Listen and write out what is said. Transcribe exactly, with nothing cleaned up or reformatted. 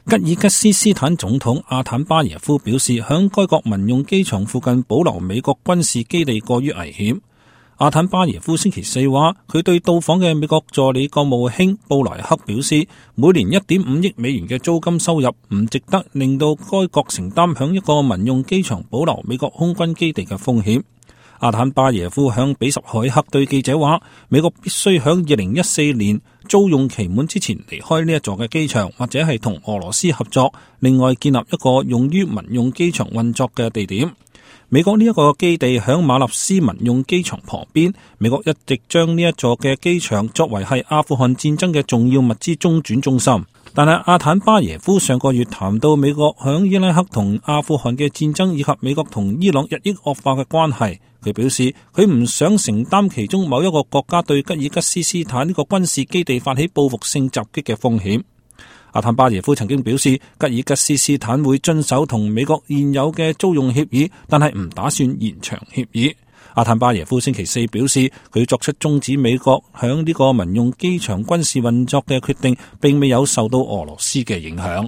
吉爾吉斯斯坦總統阿坦巴耶夫表示，響該國民用機場附近保留美國軍事基地過於危險。阿坦巴耶夫星期四話，佢對到訪嘅美國助理國務卿布萊克表示，每年一點五億美元嘅租金收入唔值得令到該國承擔響一個民用機場保留美國空軍基地嘅風險。阿坦巴耶夫向比什凱克對記者話，美國必須響二零一四年租用期滿之前離開呢一座嘅機場，或者係同俄羅斯合作，另外建立一個用於民用機場運作嘅地點。美國呢一個基地響馬納斯民用機場旁邊，美國一直將呢一座嘅機場作為係阿富汗戰爭嘅重要物資中轉中心。但係阿坦巴耶夫上個月談到美國響伊拉克同阿富汗嘅戰爭，以及美國同伊朗日益惡化嘅關係，佢表示佢唔想承擔其中某一個國家對吉爾吉斯斯坦呢個軍事基地發起報復性襲擊嘅風險。阿坦巴耶夫曾經表示，吉爾吉斯斯坦會遵守同美國現有嘅租用協議，但係唔打算延長協議。阿坦巴耶夫星期四表示，佢作出終止美國響呢個民用機場軍事運作嘅決定，並未有受到俄羅斯嘅影響。